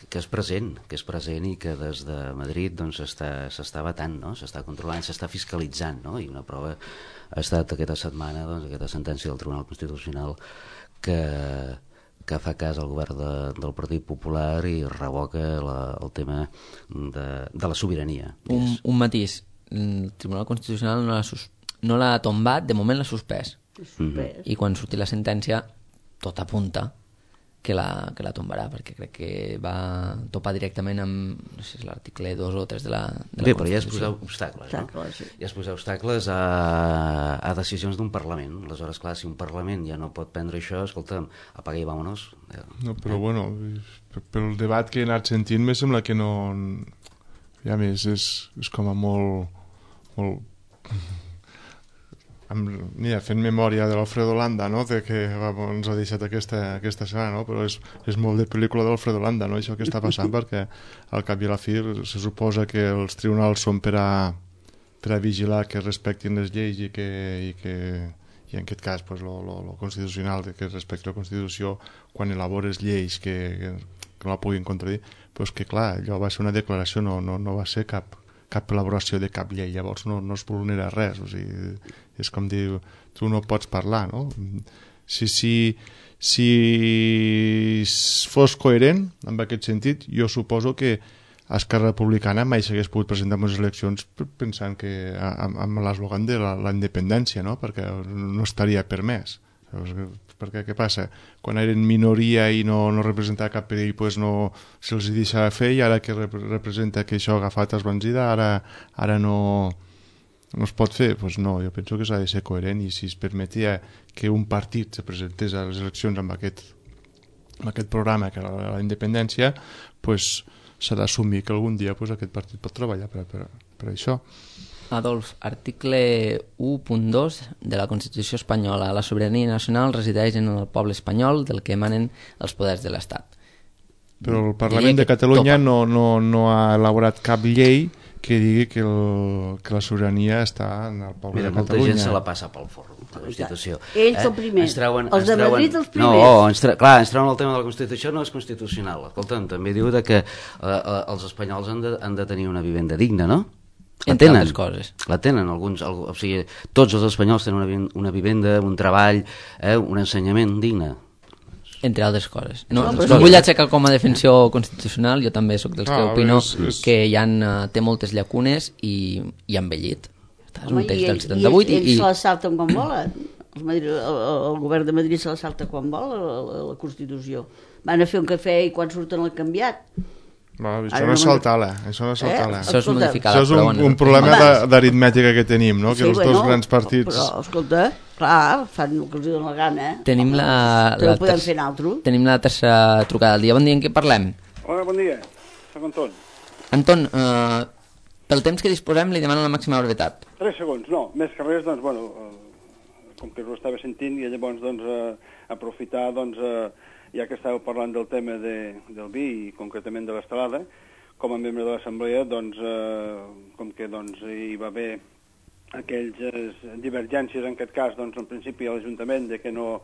que és present, que és present i que des de Madrid doncs, s'està batant, no?, s'està controlant, s'està fiscalitzant, no? I una prova ha estat aquesta setmana, doncs, aquesta sentència del Tribunal Constitucional que que fa cas al govern de, del Partit Popular i revoca la, el tema de, de la sobirania. Un, un matís. El Tribunal Constitucional no l'ha sus... no l'ha tombat, de moment l'ha suspès. Suspès. I quan surti la sentència, tot apunta que la, que la tombarà, perquè crec que va topar directament amb, no sé si és l'article dos o tres de la, de la Bé, però ja és Constitució. posar obstacles, no? Obstacles, sí. Ja és posar obstacles a, a decisions d'un Parlament. Aleshores, clar, si un Parlament ja no pot prendre això, escolta'm, apaga i vámonos. No, però bueno, pel debat que he anat sentint me sembla que no... Ja més, és, és com a molt... molt... Amb, mira, fent memòria de l'Alfredo Landa, no? De que va, ens ha deixat aquesta, aquesta setmana, no? Però és, és molt de pel·lícula d'Alfredo Landa, no? Això que està passant, perquè al cap i a la fi se suposa que els tribunals són per a, per a vigilar que respectin les lleis i que, i que i en aquest cas pues, lo, lo, lo constitucional, que respecti la Constitució quan elabores lleis que, que, que no la puguin contradir, però és que clar, allò va ser una declaració, no, no, no va ser cap cap elaboració de cap llei, llavors no, no es vulnera res, o sigui, és com dir, tu no pots parlar, no? Si, si, si fos coherent amb aquest sentit, jo suposo que Esquerra Republicana mai s'hagués pogut presentar en les eleccions pensant que amb, amb l'eslògan de la, la independència, no? Perquè no estaria permès. Perquè què passa? Quan eren minoria i no, no representava cap perill, pues no se'ls deixava fer, i ara que rep representa que això ha agafat esbanzida, ara, ara no, no es pot fer. Pues no, jo penso que s'ha de ser coherent, i si es permetia que un partit se presentés a les eleccions amb aquest, amb aquest programa que era la, la independència, pues s'ha d'assumir que algun dia pues, aquest partit pot treballar per, per, per això. Adolf, article u punt dos de la Constitució espanyola. La sobirania nacional resideix en el poble espanyol, del que emanen els poders de l'Estat. Però el Parlament de Catalunya no, no, no ha elaborat cap llei que digui que, el, que la sobirania està en el poble Mira, de Catalunya. molta gent se la passa pel forro, la Constitució. Ells el primer, Ens treuen, els ens de treuen... Madrid els primers. No, ens tre... clar, ens treuen el tema de la Constitució, no és constitucional. Escolta'm, també diu de que eh, eh, els espanyols han de, han de tenir una vivenda digna, no? La Entre tenen, altres coses. la tenen alguns, o sigui, tots els espanyols tenen una, una vivenda, un treball, eh, un ensenyament digne. Entre altres coses. No, No, no, però no sí. vull aixecar com a defensió constitucional, jo també sóc dels que Ah, opino és- és- que hi ha, té moltes llacunes i, i ha envellit. És un Home, text i del ells, setanta-vuit i ells, i, ells se la salten quan volen. El, Madrid, el, el govern de Madrid se la salta quan vol, la, la, la Constitució. Van a fer un cafè i quan surten l'han canviat. Va, això Ara no és no saltar-la, això no és saltar-la. Eh? això és Escolta, modificar Això és però un, bueno, un problema Home. de- d'aritmètica que tenim, no? Que Sí, els bueno, dos grans partits... Però, escolta, clar, fan el que els dona la gana. Eh? Tenim la, També la, ho podem ter- fer nosaltres. tenim la tercera trucada del dia. Bon dia, en què parlem? Hola, bon dia. Soc Anton. Anton, eh, pel temps que disposem li demano la màxima brevetat. Tres segons, no. Més que res, doncs, bueno, eh, com que ho estava sentint, i llavors, doncs, eh, aprofitar, doncs, eh, ja que estàveu parlant del tema de, del vi i concretament de l'estelada, com a membre de l'Assemblea, doncs, eh, com que doncs, hi va haver aquelles divergències, en aquest cas, doncs, en principi a l'Ajuntament, de que no,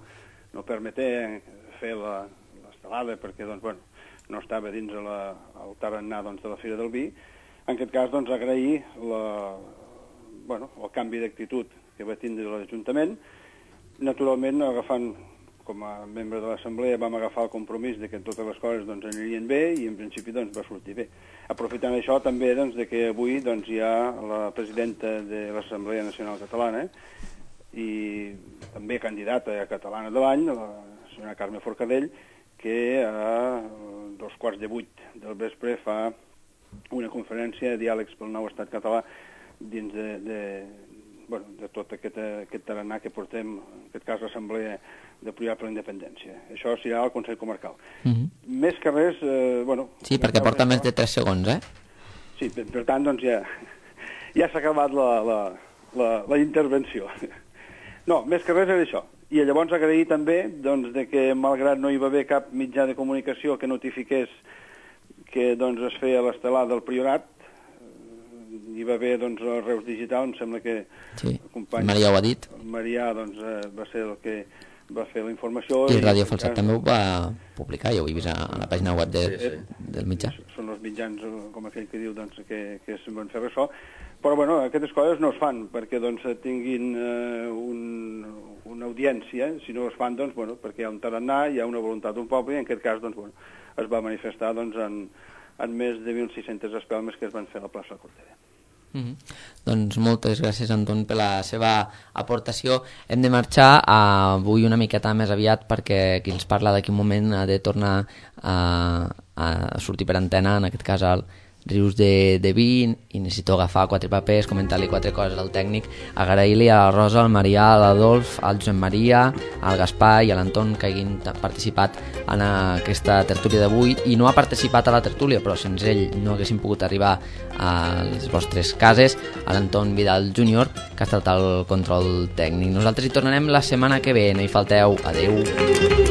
no permeté fer la, l'estelada perquè, doncs, bueno, no estava dins la, el tarannà doncs, de la Fira del Vi. En aquest cas, doncs, agrair la, bueno, el canvi d'actitud que va tindre l'Ajuntament. Naturalment, agafant, com a membre de l'Assemblea, vam agafar el compromís de que totes les coses doncs, anirien bé i, en principi, doncs, va sortir bé. Aprofitant això, també, doncs, de que avui doncs, hi ha la presidenta de l'Assemblea Nacional Catalana i també candidata a Catalana de l'any, la senyora Carme Forcadell, que a dos quarts de vuit del vespre fa una conferència de diàlegs pel nou estat català dins de, de, bueno, de tot aquest, aquest tarannà que portem, en aquest cas l'Assemblea de Priar per la Independència. Això serà al Consell Comarcal. Uh -huh. Més que res, eh, bueno... Sí, perquè porta més de tres segons, eh? Sí, per, per tant, doncs ja, ja s'ha acabat la, la, la, la intervenció. No, més que res era això. I llavors agrair també doncs, de que, malgrat no hi va haver cap mitjà de comunicació que notifiqués que doncs, es feia l'estelada del Priorat, hi va haver doncs, el Reus Digital, em sembla que Sí, el company Maria ho ha dit. Marià doncs, eh, va ser el que va fer la informació. I Ràdio en Falset cas, també ho va publicar, ja ho he vist a la pàgina web de, Sí, sí. del mitjà. Són els mitjans, eh, com aquell que diu, doncs, que, que es van fer això. Però, bueno, aquestes coses no es fan perquè doncs, tinguin eh, un, una audiència. Si no es fan, doncs, bueno, perquè hi ha un tarannà, hi ha una voluntat d'un poble, i en aquest cas, doncs, bueno, es va manifestar doncs, en, en més de mil sis-centes espelmes que es van fer a la plaça Cortera. Mm-hmm. Doncs moltes gràcies, Anton, per la seva aportació. Hem de marxar avui una miqueta més aviat perquè qui ens parla d'aquí un moment ha de tornar a, a sortir per antena, en aquest cas al Rius de, de Vi, i necessito agafar quatre papers, comentar-li quatre coses al tècnic, agrair-li a la Rosa, al Marià, a l'Adolf, al Josep Maria, al Gaspar i a l'Anton que hagin participat en aquesta tertúlia d'avui, i no ha participat a la tertúlia, però sense ell no haguessin pogut arribar a les vostres cases, a l'Anton Vidal júnior, que ha estat al control tècnic. Nosaltres hi tornarem la setmana que ve, no hi falteu. Adeu.